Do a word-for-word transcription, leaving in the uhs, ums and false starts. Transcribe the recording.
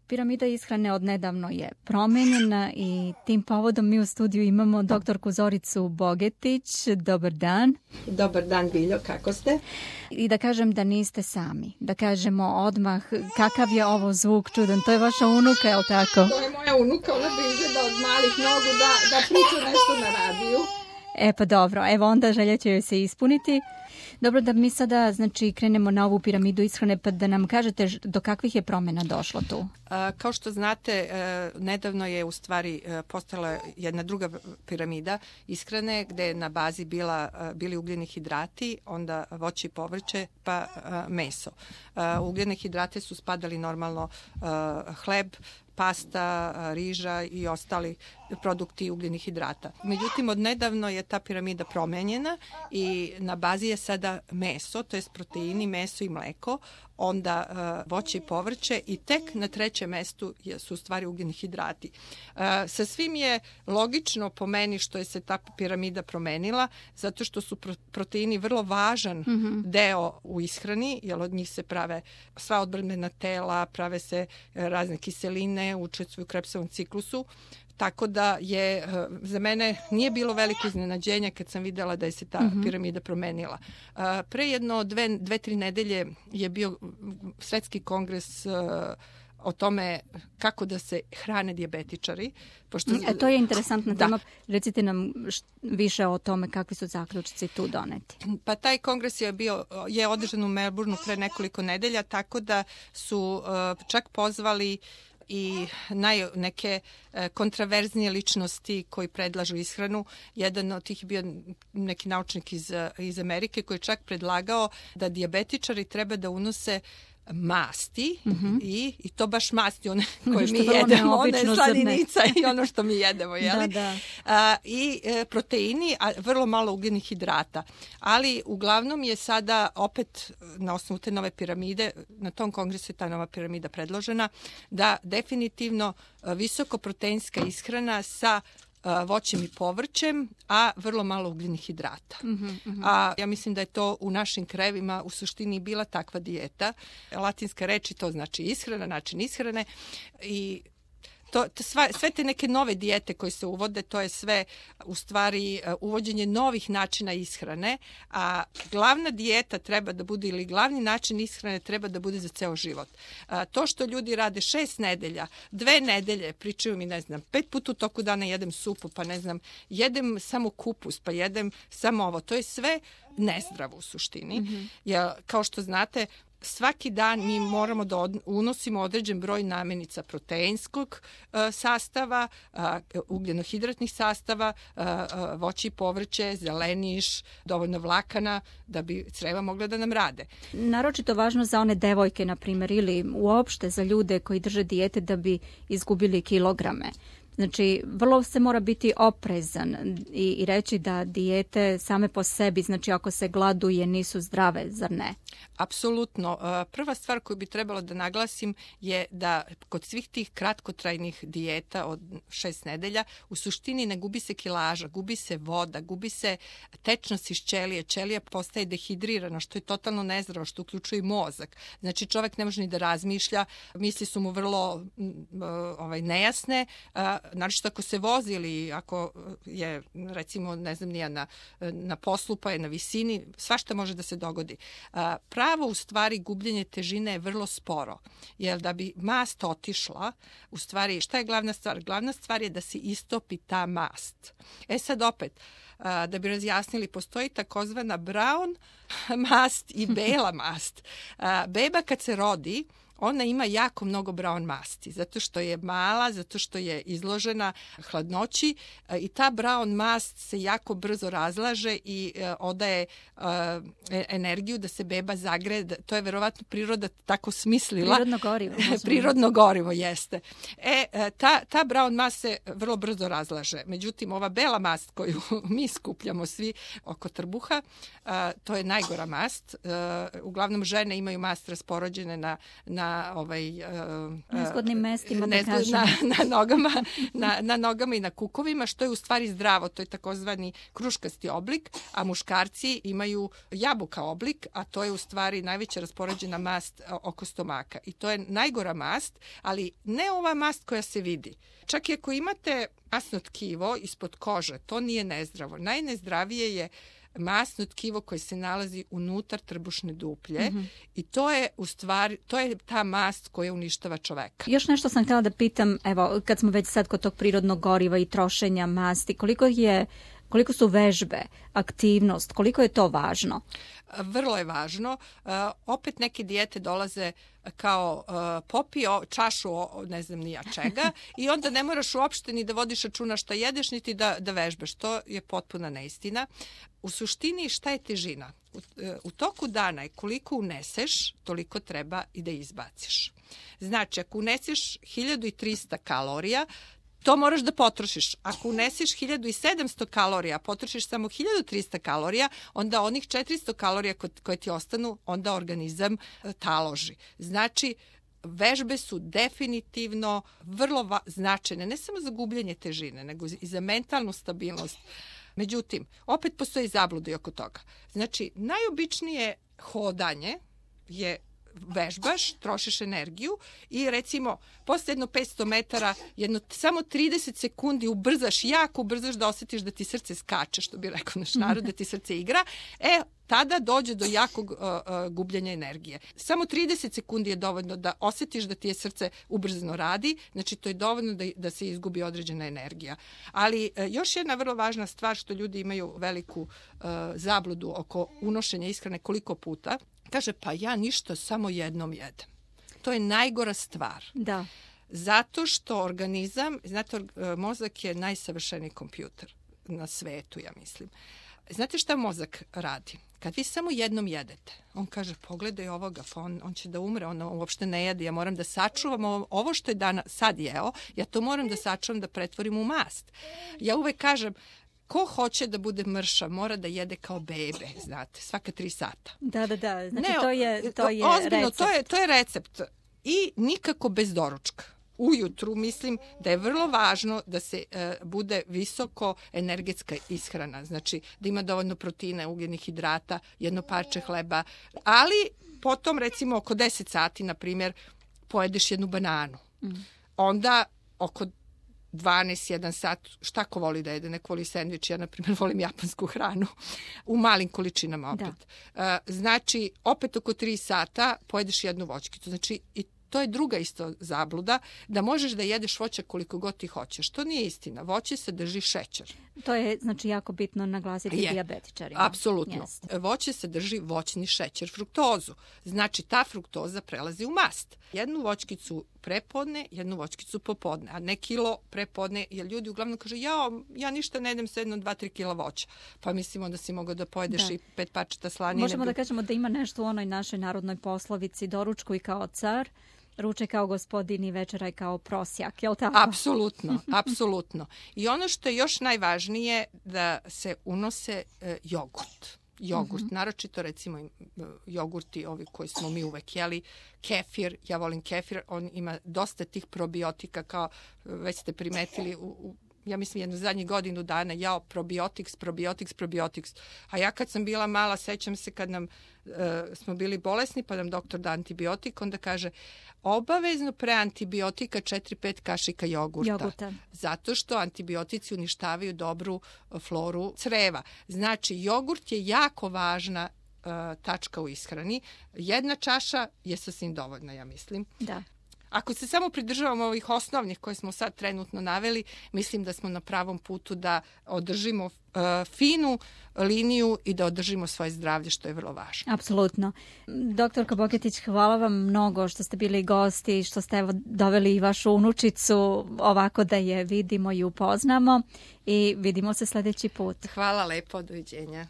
Piramida ishrane odnedavno je promenjena i tim povodom mi u studiju imamo doktorku Zoricu Bogetić. Dobar dan. Dobar dan, Biljo, kako ste? I da kažem da niste sami. Da kažemo odmah kakav je ovo zvuk čudan. To je vaša unuka, je li tako? To je moja unuka, ona bi izgleda od malih nogu da, da priča nešto na radiju. E pa dobro, evo onda želja će joj se ispuniti. Dobro, da mi sada znači krenemo na ovu piramidu ishrane, pa da nam kažete do kakvih je promjena došlo tu. A, kao što znate, e, nedavno je u stvari e, postala jedna druga piramida ishrane gde je na bazi bila, e, bili ugljeni hidrati, onda voće i povrće, pa e, meso. E, ugljene hidrate su spadali normalno e, hleb, pasta, riža i ostali produkti ugljenih hidrata. Međutim, odnedavno je ta piramida promenjena i na bazi je sada meso, to je proteini, meso i mleko, onda uh, voće i povrće i tek na trećem mestu su u stvari ugljeni hidrati. Uh, sa svim je logično po meni što je se ta piramida promenila, zato što su pro- proteini vrlo važan mm-hmm. deo u ishrani, jer od njih se prave sva odbrambena tela, prave se razne kiseline, učestvuju u Krebsovom ciklusu. Tako da je, za mene nije bilo veliko iznenađenje kad sam videla da je se ta mm-hmm. piramida promenila. Pre jedno dve, dve, tri nedelje je bio svetski kongres o tome kako da se hrane dijabetičari. Pošto... E, to je interesantna da. tema. Recite nam više o tome kakvi su zaključci tu doneti. Pa taj kongres je bio je održan u Melbourneu pre nekoliko nedelja, tako da su uh, čak pozvali i naj, neke e, kontraverznije ličnosti koji predlažu ishranu. Jedan od tih je bio neki naučnik iz, iz Amerike koji je čak predlagao da dijabetičari treba da unose masti mm-hmm. i, i to baš masti one koje mi jedemo, one slaninica i ono što mi jedemo, jeli? Da, da. A, i e, proteini, a vrlo malo ugljenih hidrata. Ali uglavnom je sada opet na osnovu te nove piramide, na tom kongresu je ta nova piramida predložena, da definitivno visokoproteinska ishrana sa voćem i povrćem, a vrlo malo ugljenih hidrata. Mm-hmm, mm-hmm. A ja mislim da je to u našim krajevima u suštini bila takva dijeta. Latinska reč i to znači ishrana, način ishrane i To, to sva, sve te neke nove dijete koje se uvode, to je sve u stvari uvođenje novih načina ishrane, a glavna dijeta treba da bude ili glavni način ishrane treba da bude za ceo život. A, to što ljudi rade šest nedelja, dve nedelje, pričaju mi, ne znam, pet puta u toku dana jedem supu, pa ne znam, jedem samo kupus, pa jedem samo ovo, to je sve nezdravo u suštini. Mm-hmm. Jer, kao što znate, svaki dan mi moramo da od, unosimo određen broj namirnica proteinskog uh, sastava, uh, ugljenohidratnih sastava, uh, uh, voće i povrće, zeleniš, dovoljno vlakana da bi creva mogla da nam rade. Naročito važno za one devojke, na primjer, ili uopšte za ljude koji drže dijete da bi izgubili kilograme. Znači, vrlo se mora biti oprezan i, i reći da dijete same po sebi, znači ako se gladuje, nisu zdrave, zar ne? Apsolutno. Prva stvar koju bi trebalo da naglasim je da kod svih tih kratkotrajnih dijeta od šest nedelja u suštini ne gubi se kilaža, gubi se voda, gubi se tečnost iz ćelije. Ćelija postaje dehidrirana, što je totalno nezdravo, što uključuje i mozak. Znači, čovjek ne može ni da razmišlja, misli su mu vrlo ovaj, nejasne, naročito ako se vozi ili ako je, recimo, ne znam, nije na, na poslu pa je na visini, svašta može da se dogodi. Pravo, u stvari, gubljenje težine je vrlo sporo, jer da bi mast otišla, u stvari, šta je glavna stvar? Glavna stvar je da se istopi ta mast. E sad opet, da bi razjasnili, postoji takozvana brown mast i bela mast. Beba kad se rodi, ona ima jako mnogo brown masti, zato što je mala, zato što je izložena hladnoći i ta brown mast se jako brzo razlaže i odaje energiju da se beba zagreje. To je verovatno priroda tako smislila. Prirodno gorivo. Prirodno gorivo, jeste. E, ta, ta brown mast se vrlo brzo razlaže. Međutim, ova bela mast koju mi skupljamo svi oko trbuha, to je najgora mast. Uglavnom žene imaju mast raspoređene na, na na ovaj nezgodnim mestima, nezgod, da kažem. Na, na, nogama, na, na nogama i na kukovima, što je u stvari zdravo. To je takozvani kruškasti oblik, a muškarci imaju jabuka oblik, a to je u stvari najveća raspoređena mast oko stomaka. I to je najgora mast, ali ne ova mast koja se vidi. Čak i ako imate masno tkivo ispod kože, to nije nezdravo. Najnezdravije je masno tkivo koje se nalazi unutar trbušne duplje, mm-hmm. i to je u stvari, to je ta mast koja uništava čoveka. Još nešto sam htjela da pitam, evo, kad smo već sad kod tog prirodnog goriva i trošenja masti, koliko je koliko su vežbe, aktivnost, koliko je to važno? Vrlo je važno. Uh, opet neke dijete dolaze kao uh, popio čašu, ne znam ni ja čega, i onda ne moraš uopšte ni da vodiš računa šta jedeš, niti da, da vežbaš. To je potpuna neistina. U suštini šta je težina? U, u toku dana je koliko uneseš, toliko treba i da izbaciš. Znači, ako uneseš hiljadu trista kalorija, to moraš da potrošiš. Ako uneseš hiljadu sedamsto kalorija, potrošiš samo hiljadu trista kalorija, onda onih četiristo kalorija koje ti ostanu, onda organizam taloži. Znači, vežbe su definitivno vrlo va- značajne, ne samo za gubljenje težine, nego i za mentalnu stabilnost. Međutim, opet postoji zabluda i oko toga. Znači, najobičnije hodanje je vežbaš, trošiš energiju i recimo posle jedno petsto metara, jedno samo trideset sekundi ubrzaš, jako ubrzaš da osjetiš da ti srce skače, što bi rekao naš narod, da ti srce igra, e, tada dođe do jakog uh, uh, gubljenja energije. Samo trideset sekundi je dovoljno da osjetiš da ti je srce ubrzano radi, znači to je dovoljno da, da se izgubi određena energija. Ali uh, još jedna vrlo važna stvar što ljudi imaju veliku uh, zabludu oko unošenja ishrane koliko puta, kaže, pa ja ništa, samo jednom jedem. To je najgora stvar. Da. Zato što organizam, znate, mozak je najsavršeniji kompjuter na svetu, ja mislim. Znate šta mozak radi? Kad vi samo jednom jedete, on kaže, pogledaj ovoga, pa on, on će da umre, on uopšte ne jede, ja moram da sačuvam ovo, ovo što je dana, sad jeo, ja to moram da sačuvam, da pretvorim u mast. Ja uvek kažem, ko hoće da bude mršav, mora da jede kao bebe, znate, svaka tri sata. Da, da, da. Znači, ne, to je, to je ozbiljno, recept. To je, to je recept. I nikako bez doručka. Ujutru mislim da je vrlo važno da se e, bude visoko energetska ishrana. Znači, da ima dovoljno proteina, ugljenih hidrata, jedno parče hleba. Ali potom, recimo, oko deset sati, na primjer, pojedeš jednu bananu. Mm. Onda, oko dvanaest jedan sat, šta ko voli da jede, neko voli sendvič, ja na primjer volim japansku hranu, u malim količinama opet. Da. Znači, opet oko tri sata pojedeš jednu voćkicu. Znači, i to je druga isto zabluda, da možeš da jedeš voće koliko god ti hoćeš. To nije istina. Voće sadrži šećer. To je, znači, jako bitno naglasiti je. Dijabetičarima. Apsolutno. Jest. Voće sadrži voćni šećer, fruktozu. Znači, ta fruktoza prelazi u mast. Jednu voćkicu prepodne, jednu voćkicu popodne, a ne kilo prepodne, jer ljudi uglavnom kažu, ja, ja ništa ne jedem sa jedno dva tri kila voća. Pa mislimo da si mogao da pojedeš da. i pet parčeta slanine. Možemo da kažemo da ima nešto u onoj našoj narodnoj poslovici, doručkuj kao car, ručaj kao gospodin i večeraj kao prosjak, je li tako? Apsolutno, apsolutno. I ono što je još najvažnije, da se unose e, jogurt. Jogurt, mm-hmm. naročito recimo jogurti ovi koji smo mi uvek jeli, kefir, ja volim kefir, on ima dosta tih probiotika, kao već ste primetili u, u ja mislim jednu zadnjih godinu dana, jao, probiotiks, probiotiks, probiotiks. A ja kad sam bila mala, sećam se kad nam e, smo bili bolesni, pa nam doktor da antibiotik, onda kaže, obavezno pre antibiotika četiri pet kašika jogurta. Jogurta. Zato što antibiotici uništavaju dobru floru creva. Znači, jogurt je jako važna e, tačka u ishrani. Jedna čaša je sasvim dovoljna, ja mislim. Da. Ako se samo pridržavamo ovih osnovnih koje smo sad trenutno naveli, mislim da smo na pravom putu da održimo uh, finu liniju i da održimo svoje zdravlje, što je vrlo važno. Apsolutno. Doktorka Boketić, hvala vam mnogo što ste bili gosti, što ste evo doveli i vašu unučicu ovako da je vidimo i upoznamo i vidimo se sljedeći put. Hvala lepo, doviđenja.